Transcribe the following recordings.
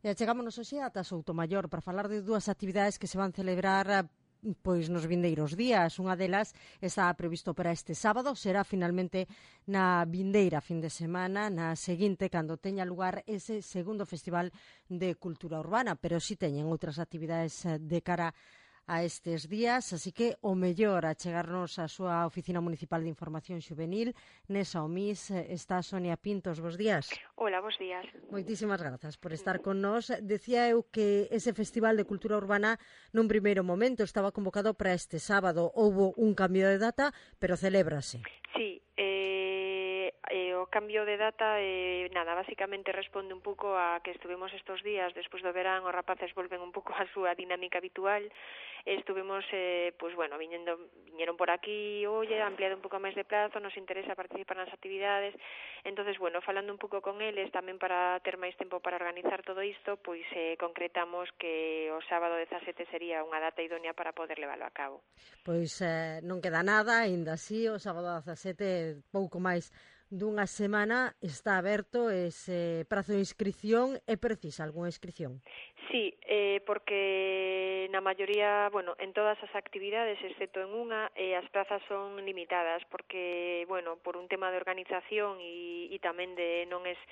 E chegámonos hoxe ata Soutomaior para falar de dúas actividades que se van celebrar pois nos vindeiros días. Unha delas está previsto para este sábado, será finalmente na vindeira fin de semana, na seguinte, cando teña lugar ese segundo Festival de Cultura Urbana, pero si teñen outras actividades de cara a estes días, así que o mellor a chegarnos á súa Oficina Municipal de Información Xuvenil. Nesa OMIS está Sonia Pintos. Bos días. Hola, bos días. Moitísimas grazas por estar con nós. Decía eu que ese Festival de Cultura Urbana nun primeiro momento estaba convocado para este sábado. Houbo un cambio de data, pero celébrase. Sí, o cambio de data, básicamente responde un pouco a que estuvemos estos días, despois do verán, os rapaces volven un pouco a súa dinámica habitual. Estuvemos, viñeron por aquí, ampliado un pouco máis de plazo, nos interesa participar nas actividades. Entonces, falando un pouco con eles, tamén para ter máis tempo para organizar todo isto, pois concretamos que o sábado 17 sería unha data idónea para poder leválo a cabo. Pois non queda nada, aínda así, o sábado 17, pouco máis dunha semana, está aberto ese prazo de inscripción. É precisa algunha inscripción? Sí, porque na maioría, en todas as actividades, excepto en unha, as plazas son limitadas, porque, por un tema de organización e tamén de non es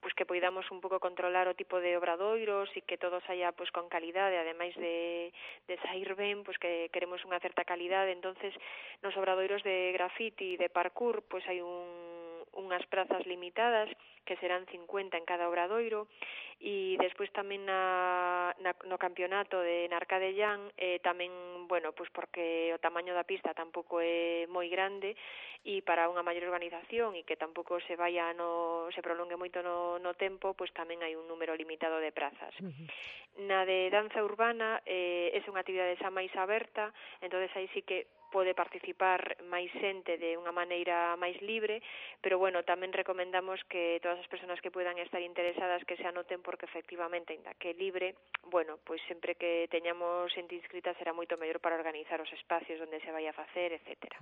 pois que poidamos un pouco controlar o tipo de obradoiros e que todo saia pois con calidade, ademais de sair ben, pois que queremos unha certa calidade. Entonces, nos obradoiros de graffiti e de parkour, pois hai unhas prazas limitadas que serán 50 en cada obradoiro, e despois tamén no campeonato de Narcadellán tamén, pois porque o tamaño da pista tampouco é moi grande e para unha maior organización e que tampouco se prolongue moito no tempo, pois tamén hai un número limitado de prazas. Na de danza urbana é unha actividade xa máis aberta, entonces aí sí que pode participar máis xente de unha maneira máis libre, pero tamén recomendamos que todas as persoas que poidan estar interesadas que se anoten, porque efectivamente, ainda que libre, pois sempre que teñamos xente inscrita será moito mellor para organizar os espacios onde se vai a facer, etcétera.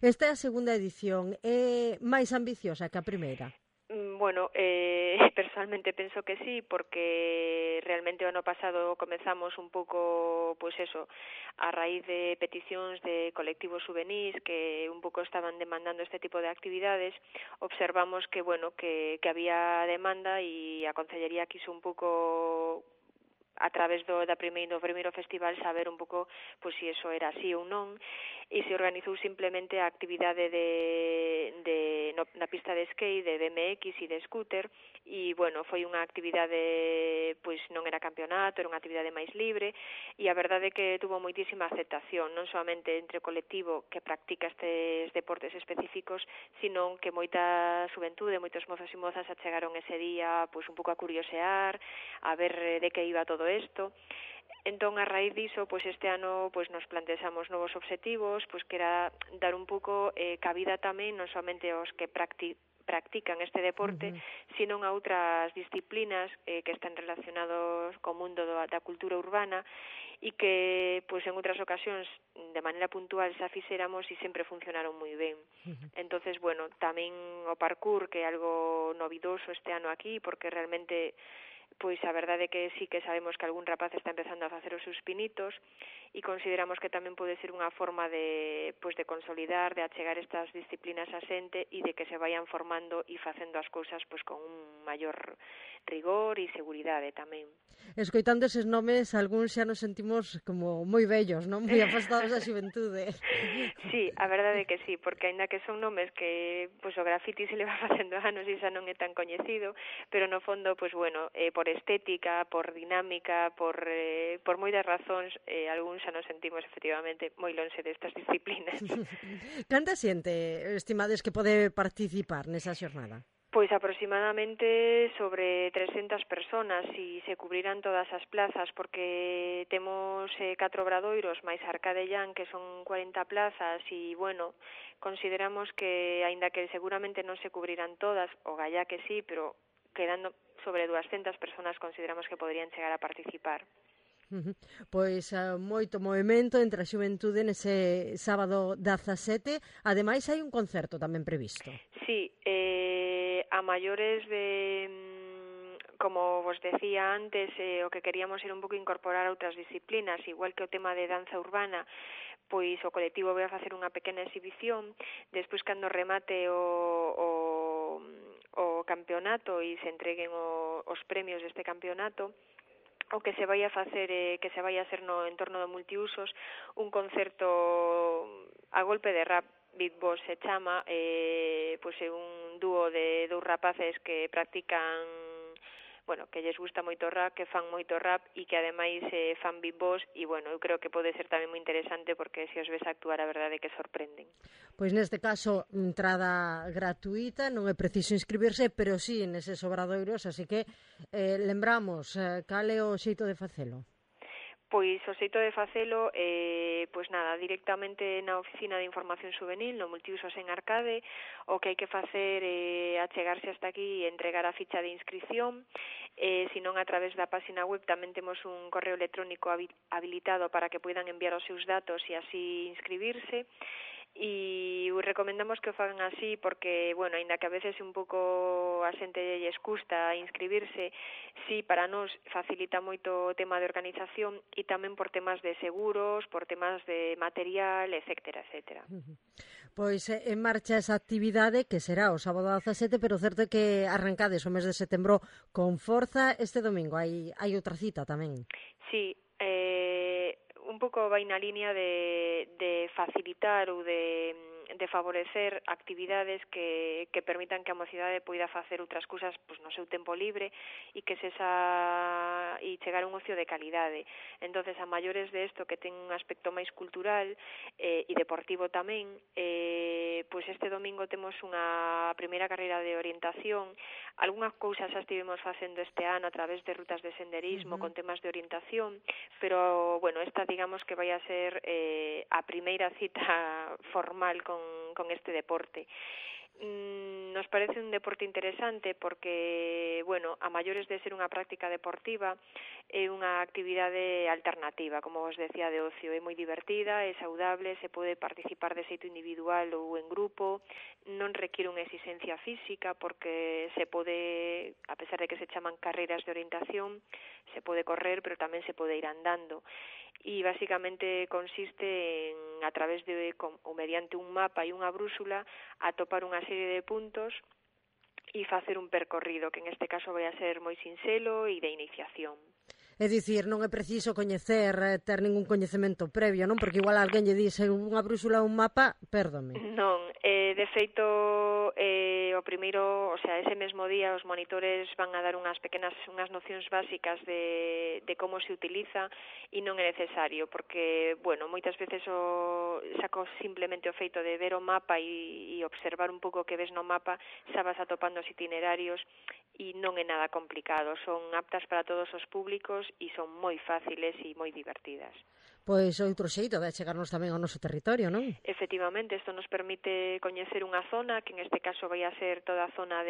Esta é a segunda edición, é máis ambiciosa que a primeira? Personalmente penso que sí, porque realmente o ano pasado comezamos un pouco, a raíz de peticións de colectivos juvenís que un pouco estaban demandando este tipo de actividades. Observamos que que había demanda e a Concellería quiso un pouco a través do primeiro festival saber un pouco se iso era así ou non, e se organizou simplemente a actividade na pista de skate, de BMX e de scooter, e foi unha actividade, non era campeonato, era unha actividade máis libre, e a verdade é que tuvo moitísima aceptación, non solamente entre o colectivo que practica estes deportes específicos, sino que moita xuventude, moitos mozos e mozas achegaron ese día un pouco a curiosear, a ver de que iba todo isto. Entón, a raíz diso, este ano nos plantexamos novos obxectivos, que era dar un pouco cabida tamén non somente aos que practican este deporte, sino a outras disciplinas que están relacionados co mundo da cultura urbana e que en outras ocasións de maneira puntual xa fixéramos e sempre funcionaron moi ben. Entonces, tamén o parkour, que é algo novidoso este ano aquí, porque realmente a verdade é que sí que sabemos que algún rapaz está empezando a facer os seus pinitos e consideramos que tamén pode ser unha forma de consolidar, de achegar estas disciplinas a xente e de que se vayan formando e facendo as cousas con un maior rigor e seguridade tamén. Escoitando eses nomes, algúns xa nos sentimos como moi vellos, non? Moi afastados da xuventude. Sí, a verdade é que sí, porque aínda que son nomes que o grafiti se le va facendo anos e xa non é tan coñecido, pero no fondo, por estética, por dinámica, por moitas razóns, algúns xa nos sentimos efectivamente moi lonxe destas disciplinas. Canta xente estimades que pode participar nesa xornada? Pois aproximadamente sobre 300 personas e se cubrirán todas as plazas, porque temos 4 obradoiros máis Arcadellán, que son 40 plazas, e consideramos que, aínda que seguramente non se cubrirán todas, o gallá que sí, pero quedando sobre 200 personas consideramos que poderían chegar a participar. Pois moito movimento entre a xuventude nese sábado 17. Ademais, hai un concerto tamén previsto. Sí, a maiores de como vos decía antes, o que queríamos era un pouco incorporar outras disciplinas, igual que o tema de danza urbana, pois o colectivo vai a facer unha pequena exhibición, despois cando remate o campeonato e se entreguen os premios deste campeonato, o que se vai a facer que se vai a hacer no entorno do multiusos un concerto a golpe de rap. Big Boss se chama, pois é un dúo de dous rapaces que practican, bueno, que lles gusta moito o rap, que fan moito rap e que ademais fan Big Boss e, bueno, eu creo que pode ser tamén moi interesante porque se os ves actuar a verdade é que sorprenden. Pois neste caso, entrada gratuita, non é preciso inscribirse, pero sí neses obradoiros, así que lembramos, cal é o xeito de facelo? Pois o xeito de facelo, pois nada, directamente na Oficina de Información Juvenil, no Multiusos en Arcade, o que hai que facer é achegarse hasta aquí e entregar a ficha de inscripción, senón a través da página web tamén temos un correo electrónico habilitado para que poidan enviar os seus datos e así inscribirse, e recomendamos que o fagan así porque, bueno, aínda que a veces un pouco a xente lles custa inscribirse, sí, para nós facilita moito o tema de organización e tamén por temas de seguros, por temas de material, etcétera, etcétera. Pois en marcha esa actividade que será o sábado 17, pero certo é que arrancades o mes de setembro con forza este domingo. Hai outra cita tamén. Sí, un pouco vai na línea de facilitar ou de favorecer actividades que permitan que a mocidade poida facer outras cousas pois, no seu tempo libre e que e chegar a un ocio de calidade. Entonces, a maiores de isto que ten un aspecto máis cultural e deportivo tamén, pois este domingo temos unha primeira carreira de orientación. Algunhas cousas xa estivemos facendo este ano a través de rutas de senderismo con temas de orientación, pero, bueno, esta digamos que vai a ser a primeira cita formal con este deporte. Nos parece un deporte interesante porque, bueno, a maiores de ser unha práctica deportiva, é unha actividade alternativa, como vos decía, de ocio. É moi divertida, é saudable, se pode participar de xeito individual ou en grupo, non requiere unha exigencia física porque se pode, a pesar de que se chaman carreiras de orientación, se pode correr, pero tamén se pode ir andando. E basicamente consiste en, a través de, ou mediante un mapa e unha brúxula, atopar unha serie de puntos e facer un percorrido, que en este caso vai a ser moi sinxelo e de iniciación. É dicir, non é preciso coñecer, ter ningún coñecemento previo, non? Porque igual alguén lle dice unha brúxula ou un mapa, pérdome. Non, de feito, o primeiro, o sea, ese mesmo día os monitores van a dar unhas nocións básicas de como se utiliza e non é necesario, porque, bueno, moitas veces saco simplemente o feito de ver o mapa e observar un pouco o que ves no mapa, xa vas atopando os itinerarios e non é nada complicado, son aptas para todos os públicos e son moi fáciles e moi divertidas. Pois outro xeito de chegarnos tamén ao noso territorio, non? Efectivamente, isto nos permite coñecer unha zona, que en este caso vai a ser toda a zona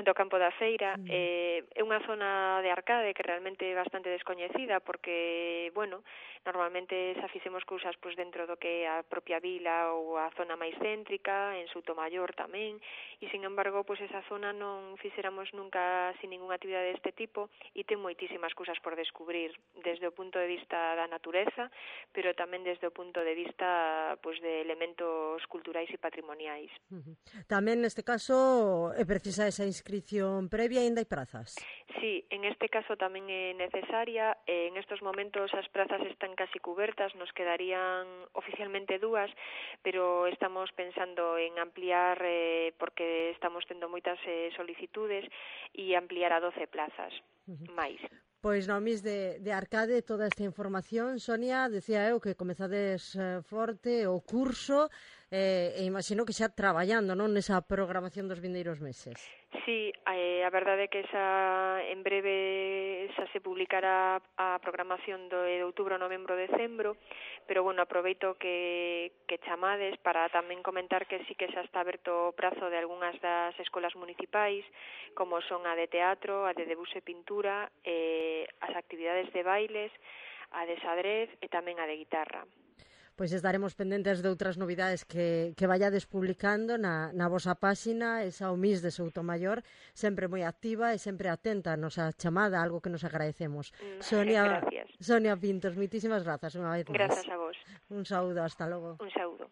do campo da feira. É unha zona de Arcade que realmente é bastante descoñecida porque, bueno, normalmente xa fixemos cousas pois dentro do que é a propia vila ou a zona máis céntrica, en Soutomaior tamén, e sin embargo, pois esa zona non fixéramos nunca sin ninguna actividade deste tipo e ten moitísimas cousas por descubrir, desde o punto de vista da natureza, pero tamén desde o punto de vista pois de elementos culturais e patrimoniais. Tamén neste caso é precisa esa inscripción previa e ainda hai prazas. Sí, en este caso tamén é necesaria. En estos momentos as prazas están casi cubertas, nos quedarían oficialmente 2, pero estamos pensando en ampliar porque estamos tendo moitas solicitudes e ampliar a 12 plazas máis. Pois no Mis de Arcade toda esta información, Sonia, decía eu que comezades forte o curso e imagino que xa traballando, non, nesa programación dos vindeiros meses. Sí, a verdade é que en breve xa se publicará a programación de outubro, novembro, decembro, pero bueno, aproveito que chamades para tamén comentar que sí que xa está aberto o prazo de algunhas das escolas municipais, como son a de teatro, a de debuxo e pintura, as actividades de bailes, a de xadrez e tamén a de guitarra. Pois estaremos pendentes de outras novidades que vayades publicando na vosa páxina, esa Omís de Soutomaior, sempre moi activa e sempre atenta a nosa chamada, algo que nos agradecemos. Gracias. Sonia Pintos, moitísimas grazas unha vez máis. Grazas a vos. Un saúdo, hasta logo. Un saúdo.